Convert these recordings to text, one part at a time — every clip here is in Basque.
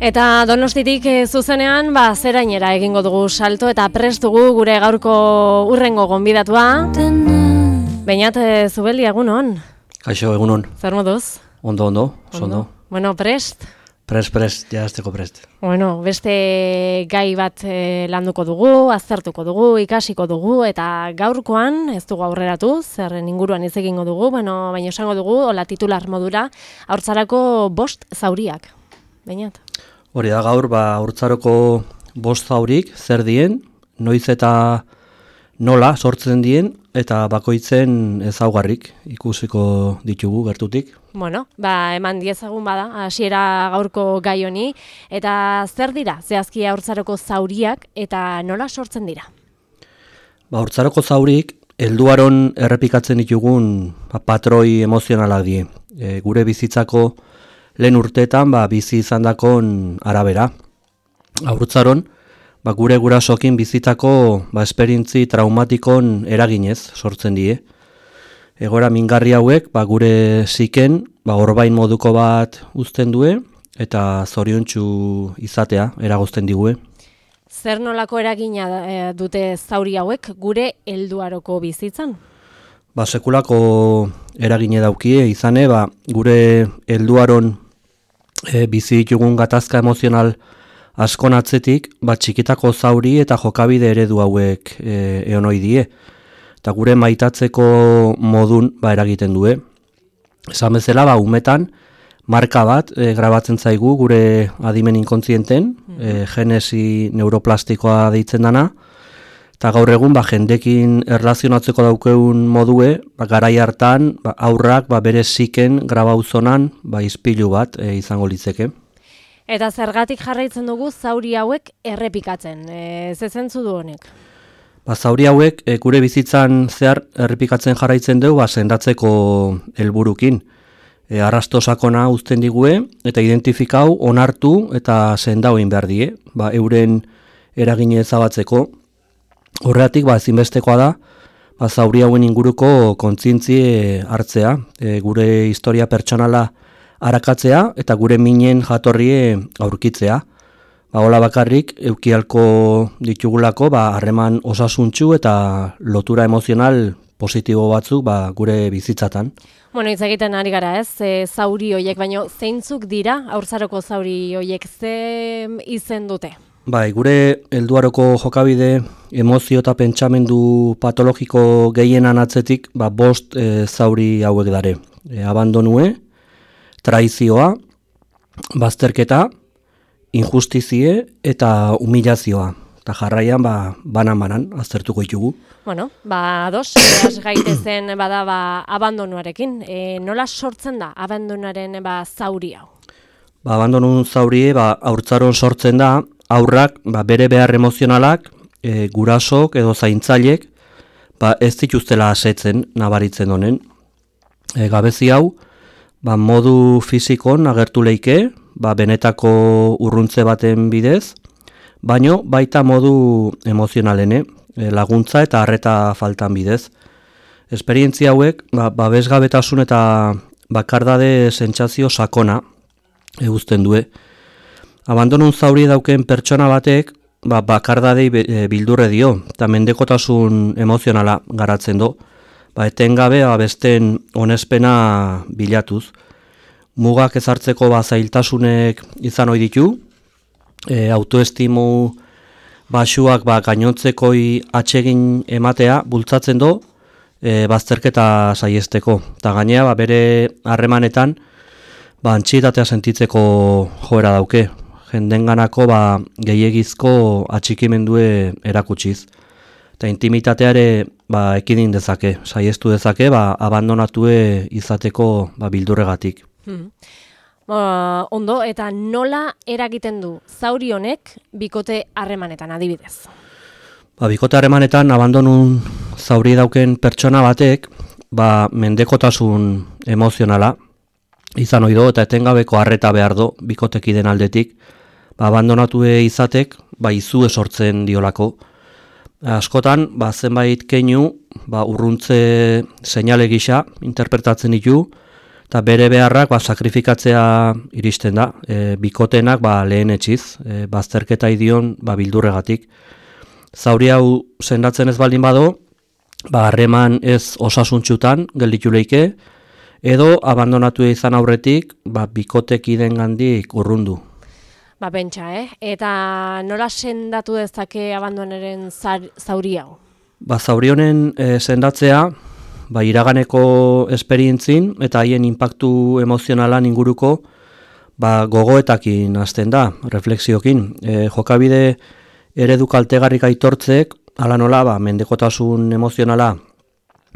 Eta Donostitik zuzenean, zerainera egingo dugu salto eta prest dugu gure gaurko urrengo gonbidatua. Beñat Zubeldi, egunon? Kaixo, egunon. Zer moduz? Ondo. Bueno, prest? Prest, ja azteko prest. Bueno, beste gai bat landuko dugu, aztertuko dugu, ikasiko dugu, eta gaurkoan ez dugu aurreratu, zerren inguruan ez egingo dugu, baina esango dugu, hola titular modura, haurtzarako 5 zauriak. Beñat? Hori da gaur, haurtzaroko 5 zaurik, zer dien, noiz eta nola sortzen dien, eta bakoitzen ezaugarrik ikusiko ditugu gertutik. Bueno, eman diezagun bada, hasiera gaurko gai honi, eta zer dira zehazki haurtzaroko zauriak eta nola sortzen dira? Haurtzaroko zaurik, helduaron errepikatzen ditugun patroi emozionalak die. Gure bizitzako lehen urteetan bizi izandakon arabera. Haurtzaron, gure gurasokin bizitako esperientzi traumatikon eraginez sortzen die. Egoera mingarri hauek gure ziken orbain moduko bat uzten due eta zoriontsu izatea eragozten digue. Zer nolako eragina dute zauri hauek gure helduaroko bizitzan? Sekulako eragine daukie izane, gure helduaron bizi ditugun gatazka emozional askon atzetik, txikitako zauri eta jokabide eredu hauek egon ohi die. Eta gure maitatzeko modun eragiten due. Esan bezala, umetan, marka bat grabatzen zaigu gure adimen inkontzienten, genesi neuroplastikoa deitzen dana, eta gaur egun jendekin erlazionatzeko daukeun modue, garai hartan aurrak bere ziken grabauzonan izpilu bat izango litzeke. Eta zergatik jarraitzen dugu zauri hauek errepikatzen, ze zentzu du honek? Zauri hauek gure bizitzan zehar errepikatzen jarraitzen dugu sendatzeko helburukin. Arrasto sakona uzten digue eta identifikau, onartu eta sendau egin behar die, euren eragine ezabatzeko. Horregatik ezinbestekoa da, zauri hauen inguruko kontzientzie hartzea, gure historia pertsonala arakatzea eta gure minen jatorrie aurkitzea. Hola bakarrik, eukialko ditugulako harreman osasuntsu eta lotura emozional positibo batzuk gure bizitzatan. Bueno, hitz egiten ari gara ez, zauri hoiek, baino zeintzuk dira haurtzaroko zauri hoiek, ze izen dute? Gure helduaroko jokabide, emozio eta pentsamendu patologiko gehienan atzetik 5 zauri hauek dare. Abandonue, traizioa, bazterketa, injustizie eta humilazioa. Eta jarraian banan aztertuko ditugu. Bueno, ados, gaitezen abandonuarekin. Nola sortzen da abandonuaren zauri hau? Abandonun zaurie haurtzaron sortzen da, aurrak bere behar emozionalak, gurasok edo zaintzailek ez dituztela asetzen nabaritzen honen. Gabezi hau, modu fizikon agertu leike, benetako urruntze baten bidez, baino baita modu emozionalene, laguntza eta harreta faltan bidez. Esperientzia hauek, babesgabetasun eta bakardade sentsazio sakona eguzten due. Abandonun zauri dauken pertsona batek, bakardadei bildurre dio, eta mendekotasun emozionala garatzen do, etengabe besten onespena bilatuz. Mugak ezartzeko zailtasunek izan ohi ditu, autoestimu basuak gainontzekoi atsegin ematea bultzatzen do, bazterketa saiesteko. Eta gainea bere harremanetan antxietatea sentitzeko joera dauke. Jendenganako gehiegizko atxikimendue erakutsiz. Eta intimitateare ekidin dezake, saiestu dezake, abandonatue izateko bildurregatik. Ondo, eta nola eragiten du zauri honek bikote harremanetan adibidez? Bikote harremanetan abandonun zauri dauken pertsona batek mendekotasun emozionala izan ohi do eta etengabeko harreta behar do bikotekiden aldetik, abandonatue izatek izue sortzen diolako. Askotan, zenbait keinu urruntze seinale gisa interpretatzen ditu, eta bere beharrak sakrifikatzea iristen da, bikotenak lehen etxiz, bazterketa idion bildurregatik. Zauri hau sendatzen ez baldin bado, harreman ez osasuntxutan gelditu leike, edo abandonatu izan aurretik bikotekideen gandik urrundu. Pentsa, Eta nola sendatu dezake abandonaren zauri hau? Zauri honen sendatzea, iraganeko esperientzin eta haien inpaktu emozionalan inguruko gogoetakin hasten da, refleksiokin. Jokabide eredu kaltegarrik aitortzek, ala nola, mendekotasun emozionala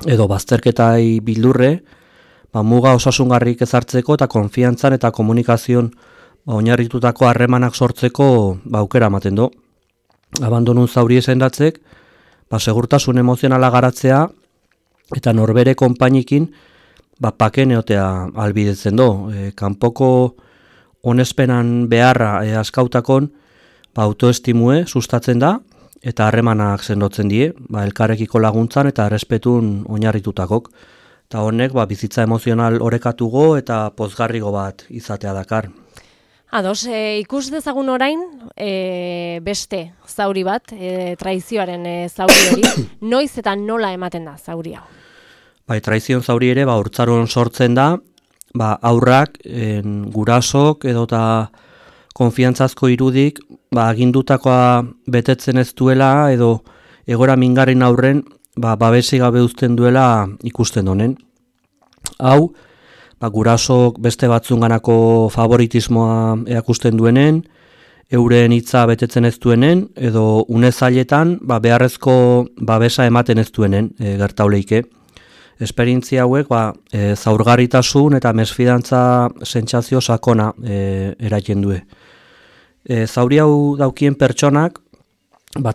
edo bazterketai bildurre, muga osasungarrik ezartzeko eta konfiantzan eta komunikazion oinarritutako harremanak sortzeko aukera ematen du. Abandonun zauri sendatzek, segurtasun emozionala garatzea eta norbere konpainikin pakeneotea albidetzen du. Kanpoko onespenan beharra askautakon autoestimue sustatzen da eta harremanak sendotzen die, elkarrekiko laguntzan eta errespetun oinarritutakok. Eta honek bizitza emozional orekatugo eta pozgarrigo bat izatea dakar. Ados, ikus dezagun orain beste zauri bat, traizioaren zauri hori, noiz eta nola ematen da zauri hau? Traizion zauri ere haurtzaroan sortzen da, aurrak, gurasok edota konfiantzazko irudik agindutakoa betetzen ez duela edo egora mingarrin aurren babesi gabe uzten duela ikusten honen. Hau, gurasok beste batzunganako favoritismoa erakusten duenen, euren hitza betetzen ez duenen, edo unezailetan beharrezko babesa ematen ez duenen gertauleike. Esperientzia hauek zaurgarritasun eta mesfidantza sentsazio sakona eraiten due. Zauri hau daukien pertsonak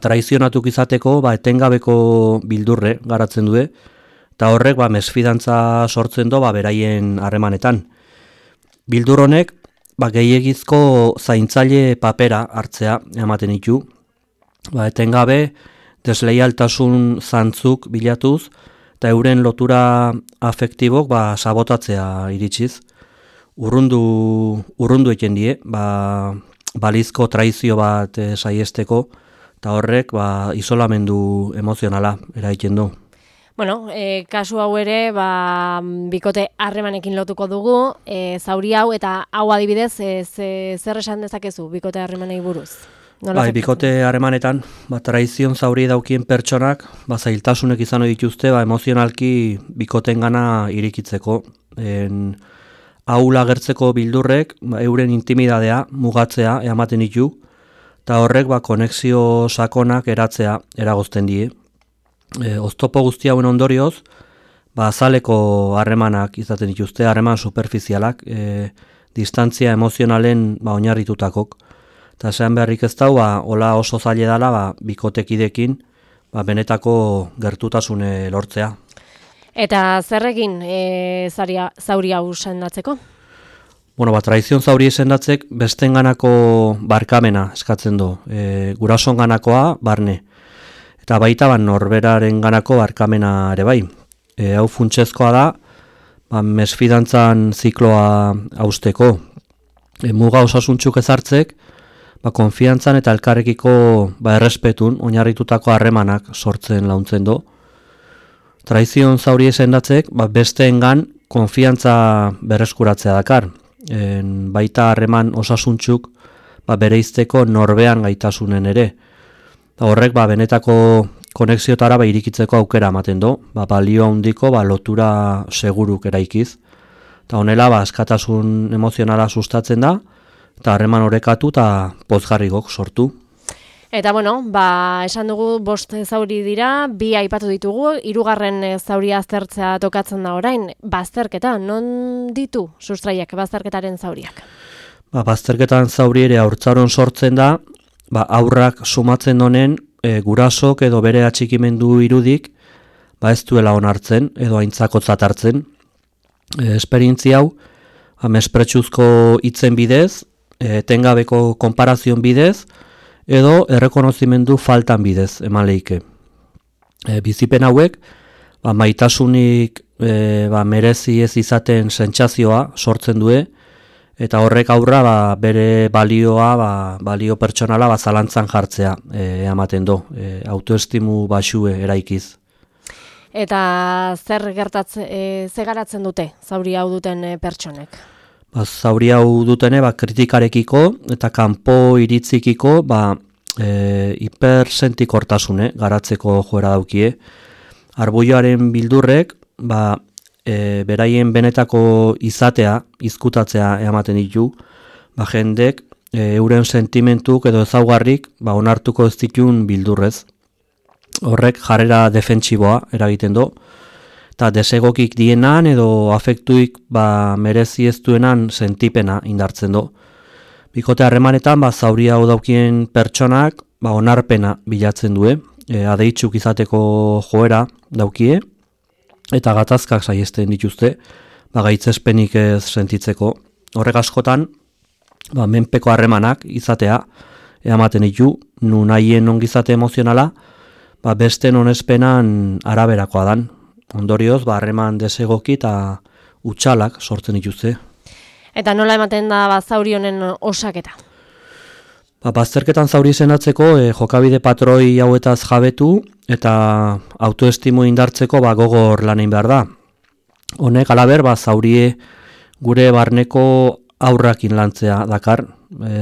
traizionatuk izateko etengabeko bildurre garatzen due, eta horrek mesfidantza sortzen do beraien harremanetan. Bildur honek gehiegizko zaintzaile papera hartzea ematen ditu, etengabe desleialtasun zantzuk bilatuz eta euren lotura afektibok sabotatzea iritsiz. Urrundu eken die, balizko traizio bat saiesteko, eta horrek isolamendu emozionala eraiten du. Bueno, kasu hau ere, bikote harremanekin lotuko dugu, zauri hau eta hau adibidez, zer esan dezakezu bikote harremanei buruz? Bikote harremanetan, traizion zauri daukien pertsonak, zailtasunek izan dituzte, emozionalki bikoten gana irikitzeko. Aula gertzeko bildurrek, euren intimidadea, mugatzea, ematen ditu, eta horrek konexio sakonak eratzea eragozten die. Oztopo guzti hauen ondorioz, azaleko harremanak izaten dituzte, harreman superfizialak, distantzia emozionalen oinarritutakok. Eta esan beharrik ez da, hola oso zaila dela bikotekidekin benetako gertutasune lortzea. Eta zer egin zauri hau sendatzeko? Traizion zauri sendatzek bestenganako barkamena eskatzen du, gurasonganakoa barne. Eta baita norberaren ganako barkamena ere bai. Hau funtsezkoa da, mesfidantzan zikloa hausteko. Muga osasuntxuk ezartzek, konfiantzan eta elkarrekiko errespetun oinarritutako harremanak sortzen launtzen du. Traizion zauri sendatzek, besteengan konfiantza berreskuratzea dakar. Baita harreman osasuntxuk bereizteko norbean gaitasunen ere. Horrek benetako konexiotara irikitzeko aukera ematen du, balio handiko lotura seguruk eraikiz. Eta honela askatasun emozionala sustatzen da, eta harreman orekatu eta pozgarrigok sortu. Eta esan dugu 5 zauri dira, 2 aipatu ditugu, 3. zauria aztertzea tokatzen da orain, bazterketa, non ditu sustraiak bazterketaren zauriak? Bazterketan zauri ere haurtzaron sortzen da, aurrak sumatzen honen gurasok edo bere atxikimendu irudik ez duela onartzen edo aintzakotzat hartzen. Esperientzia hau, mespretsuzko hitzen bidez, etengabeko konparazion bidez, edo errekonozimendu faltan bidez eman leike. Bizipen hauek, maitasunik merezi ez izaten sentsazioa sortzen du, eta horrek aurra bere balioa, balio pertsonala zalantzan jartzea ematen du, autoestimu baxue eraikiz. Eta zer garatzen dute zauri hau duten pertsonek? Zauri hau dutene kritikarekiko eta kanpo iritzikiko hipersentikortasune garatzeko joera daukie. Arbuioaren bildurrek beraien benetako izatea, izkutatzea ematen ditu, jendek euren sentimentuk edo ezaugarrik onartuko ez ditun bildurrez. Horrek jarrera defentsiboa eragiten du, eta desegokik dienan edo afektuik merezi ez duenan sentipena indartzen du. Bikote harremanetan zauri hau daukien pertsonak onarpena bilatzen du, adeitzuk izateko joera daukie, eta gatazkak saiesten dituzte, gaitzespenik ez sentitzeko. Horrek askotan, menpeko harremanak izatea ematen ditu, nun nahien ongizate emozionala, besten onespenan araberakoa dan. Ondorioz, harreman desegoki eta utxalak sortzen dituzte. Eta nola ematen da zauri honen osaketa? Bazterketan zauri izendatzeko jokabide patroi hauetaz jabetu eta autoestimu indartzeko gogor lanein behar da. Honek alaber zaurie gure barneko aurrakin lantzea dakar.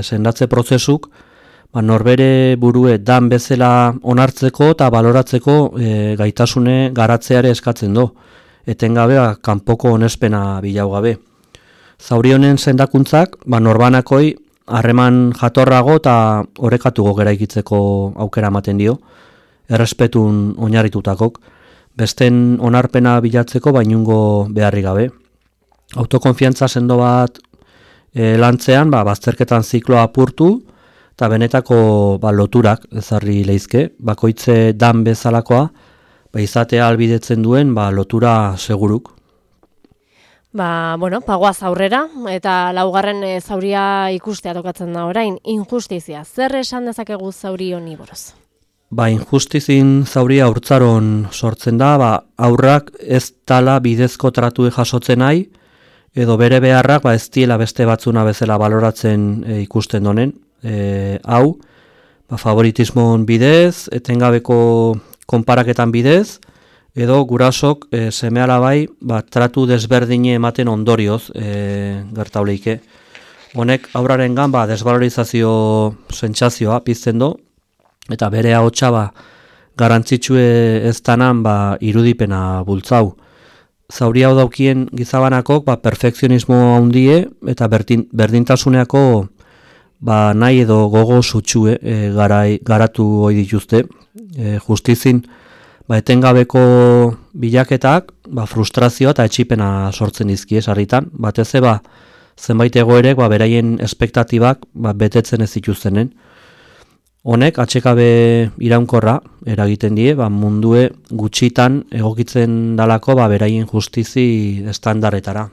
Sendatze prozesuk norbere burue dan bezala onartzeko eta baloratzeko gaitasune garatzeare eskatzen du. Etengabe kanpoko onespena bilau gabe. Zauri honen sendakuntzak norbanakoi harreman jatorrago eta orekatugo geraikitzeko aukera ematen dio, errespetun oinarritutakok, besten onarpena bilatzeko bainungo beharri gabe. Autokonfiantza sendo bat lantzean, bazterketan zikloa apurtu, eta benetako loturak ezarri leizke, bakoitze dan bezalakoa, izatea albidetzen duen lotura seguruk. Pagoaz aurrera, eta laugarren zauria ikustea tokatzen da orain, injustizia. Zer esan dezakegu zauri honi buruz? Injustizin zauria haurtzaron sortzen da, aurrak ez tala bidezko tratue jasotzen nahi, edo bere beharrak ez diela beste batzuna bezala baloratzen ikusten donen. Hau, favoritismon bidez, etengabeko konparaketan bidez, edo gurasok seme-alabai tratu desberdine ematen ondorioz gertauleike. Honek aurarengan desvalorizazio sentsazioa pizten du, eta bere ahotsa garantzitsue ez danan irudipena bultzau. Zauri hau daukien gizabanakok perfekzionismo handie eta berdintasuneako nahi edo gogo sutxue garatu hoi dituzte. Justizin etengabeko bilaketak frustrazioa eta etxipena sortzen dizkie sarritan. Batez zenbait egoerek beraien espektatibak betetzen ez dituztenen. Honek atxekabe iraunkorra eragiten die, mundue gutxitan egokitzen dalako beraien justizi estandarretara.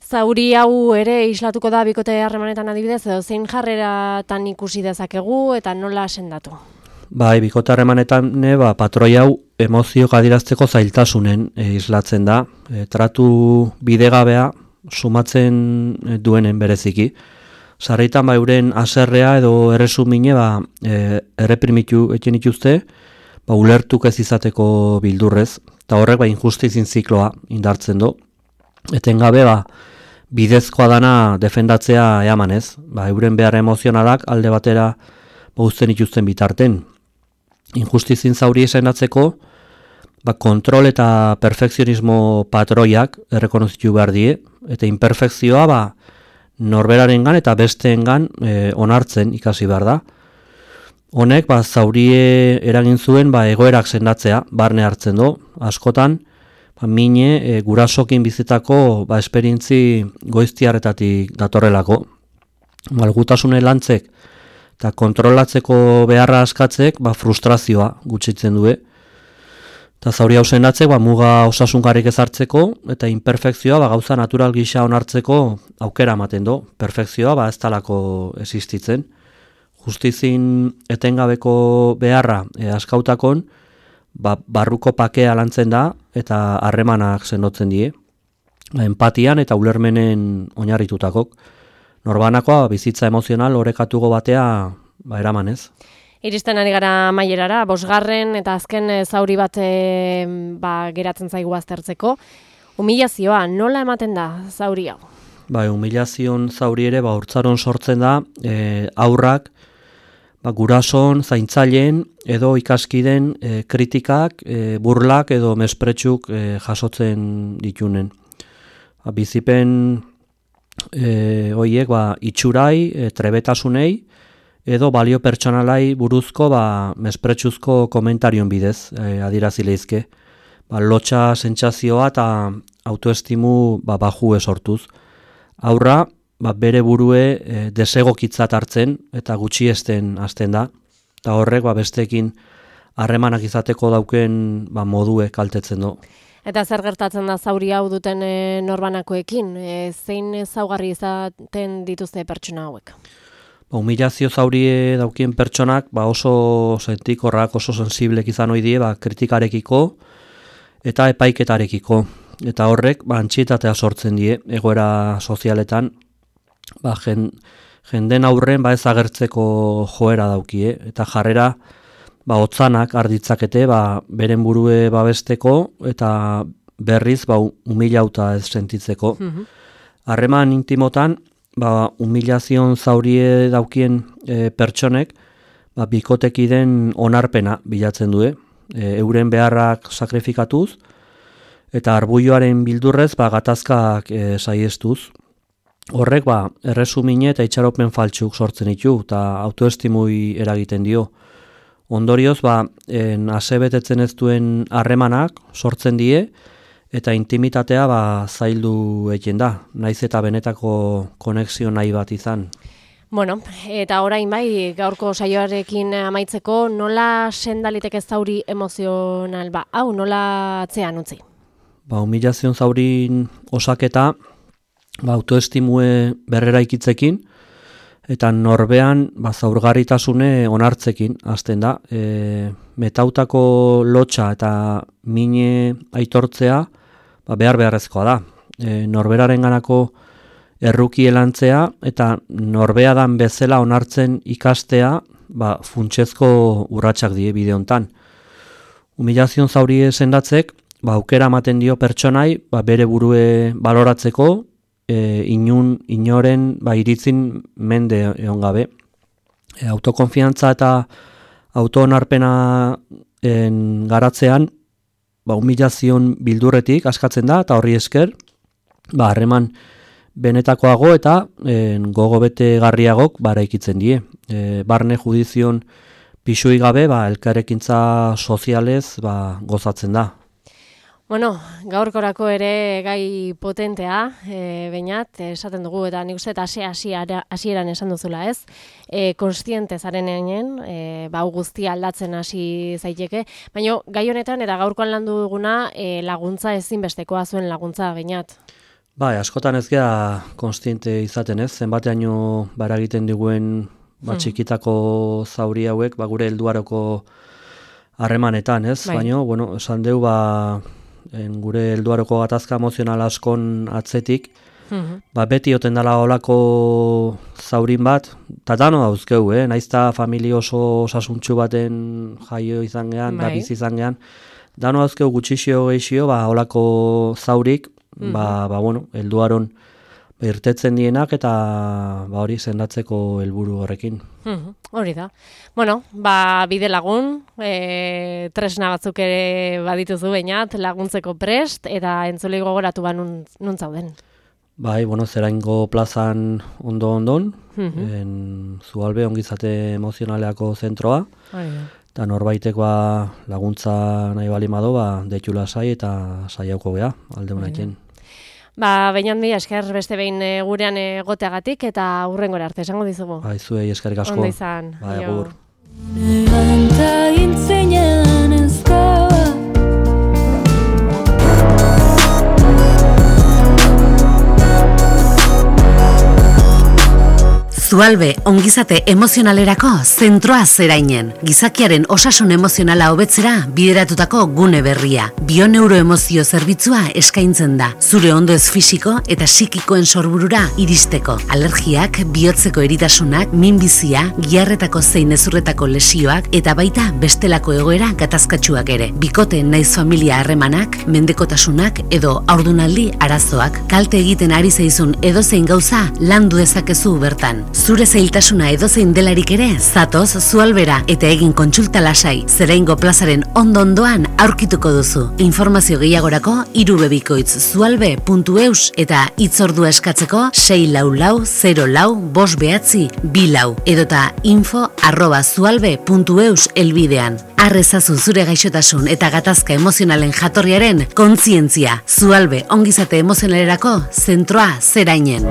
Zauri hau ere islatuko da bikote harremanetan adibidez, edo zein jarreratan ikusi dezakegu eta nola sendatu? Bikote harremanetan patroi hau emozioak adirazteko zailtasunen islatzen da. Tratu bidegabea sumatzen duenen bereziki. Sarritan euren aserrea edo erresumine erreprimitu eten dituzte, ulertuk ez izateko bildurrez, eta horrek injustizin zikloa indartzen du. Etengabe bidezkoa dana defendatzea eamanez, euren behar emozionalak alde batera uzten dituzten bitarten. Injustizin zauri esendatzeko, kontrol eta perfekzionismo patroiak errekonozitu behar die, eta imperfekzioa norberarengan eta besteengan onartzen ikasi behar da. Honek zaurie eragin zuen egoerak sendatzea, barne hartzen du, askotan, mine gurasokin bizitako esperientzi goiztiarretatik datorrelako. Malgutasune lantzek eta kontrolatzeko beharra askatzek frustrazioa gutxitzen du. Eta zauri hau sendatzek muga osasungarrik ezartzeko eta imperfekzioa gauza natural gisa onartzeko aukera ematen du. Perfekzioa ez talako existitzen. Justizin etengabeko beharra askautakon barruko pakea lantzen da eta harremanak sendotzen die. Empatian eta ulermenen oinarritutakok. Norbanakoa bizitza emozional orekatugo batea eraman ez. Iristen ari gara amaierara, 5. eta azken zauri bat geratzen zaigu aztertzeko. Humilazioa, nola ematen da zauri hau? Humilazion zauri ere haurtzaron sortzen da haurrak gurason, zaintzaileen edo ikaskiden kritikak, burlak edo mespretsuk jasotzen ditunen. Bizipen horiek itxurai, trebetasunei edo balio pertsonalai buruzko mespretsuzko komentarion bidez adirazi leizke. Lotxa sentsazioa eta autoestimu bajue sortuz. Haurra bere burue desegokitzat hartzen eta gutxiesten hasten da. Eta horrek besteekin harremanak izateko dauken modue kaltetzen du. Eta zer gertatzen da zauri hau duten norbanakoekin? Zein ezaugarri izaten dituzte pertsona hauek? Humilazio zaurie daukien pertsonak oso sentikorrak, oso sensiblek izan ohi die kritikarekiko eta epaiketarekiko. Eta horrek antsietatea sortzen die egoera sozialetan, jenden aurren ez agertzeko joera daukie eta jarrera hotzanak arditzakete beren burue babesteko eta berriz humilauta ez sentitzeko. Harreman intimotan humilazion zaurie daukien pertsonek bikotekiden onarpena bilatzen du, euren beharrak sakrifikatuz eta arbuioaren bildurrez gatazkak saiestuz. Horrek erresumine eta itxaropen faltsuk sortzen ditu eta autoestimui eragiten dio. Ondorioz asebetetzen ez duen harremanak sortzen die eta intimitatea zaildu egiten da, naiz eta benetako konexio nahi bat izan. Bueno, eta orain gaurko saioarekin amaitzeko, nola sendaliteke zauri emozional hau nola atzean utzi? Humilazion zaurin osaketa autoestimue berreraikitzekin eta norbean zaurgarritasune onartzekin hasten da. Metautako lotxa eta mine aitortzea beharrezkoa da. Norberarenganako erruki elantzea eta norbeadan bezala onartzen ikastea funtsezko urratsak die bide hontan. Humilazion zaurie sendatzek aukera ematen dio pertsonai bere burue baloratzeko, inoren iritzin mende egon gabe. Autokonfiantza eta autoonarpena garatzean humilazion bildurretik askatzen da eta horri esker harreman benetakoago eta gogo betegarriagok eraikitzen die. Barne judizion pisui gabe elkarrekintza sozialez gozatzen da. Bueno, gaurkorako ere gai potentea, Beñat, esaten dugu, eta nik uste hasieran esan duzula, ez? Kontziente zarenean, guztia aldatzen hasi zaiteke, baina gai honetan eta gaurkoan landu duguna laguntza ezinbestekoa zuen laguntza, Beñat. Askotan ez gea kontziente izaten ez, zenbateaino eragiten diguen txikitako zauri hauek, gure helduaroko harremanetan, ez? Baina, esan deu, gure helduaroko gatazka emozional askon atzetik, beti oten dela olako zaurin bat, eta dano dauzkeu, naizta familia oso osasuntsu baten jaio izan gehan, da bizi izan gehan, dano dauzkeu gutxixio geixio, olako zaurik, helduaron irtetzen dienak eta hori sendatzeko helburu horrekin. Hori da. Bueno, bide lagun, tresna batzuk ere badituzu Beñat, laguntzeko prest, eta entzulei gogoratu nun zauden. Zeraingo plazan ondo-ondon, Zualbe ongizate emozionaleako zentroa, eta norbaitek laguntza nahi bali mado, deitu lasai eta saiauko geha, alde honatzen. Beñat, mila esker beste behin gurean egoteagatik eta hurrengora arte, esango dizugu. Zuei eskerrik asko. Ondo izan. Agur. Zualbe ongizate emozionalerako zentroa Zerainen. Gizakiaren osasun emozionala hobetzera bideratutako gune berria. Bioneuroemozio zerbitzua eskaintzen da. Zure ondoez fisiko eta psikikoen sorburura iristeko. Alergiak, bihotzeko eritasunak, minbizia, giharretako zein ezurretako lesioak eta baita bestelako egoera gatazkatsuak ere. Bikote naiz familia harremanak, mendekotasunak edo haurdunaldi arazoak. Kalte egiten ari zaizun edozein gauza landu dezakezu bertan. Zure zailtasuna edozein delarik ere, zatoz Zualbera eta egin kontsulta lasai. Zeraingo plazaren ondo-ondoan aurkituko duzu. Informazio gehiagorako irubebikoitz.zualbe.eus eta hitzordua eskatzeko 644-04-594 edota info@zualbe.eus elbidean. Arrezazu zure gaixotasun eta gatazka emozionalen jatorriaren kontzientzia. Zualbe ongizate emozionalerako zentroa Zerainen.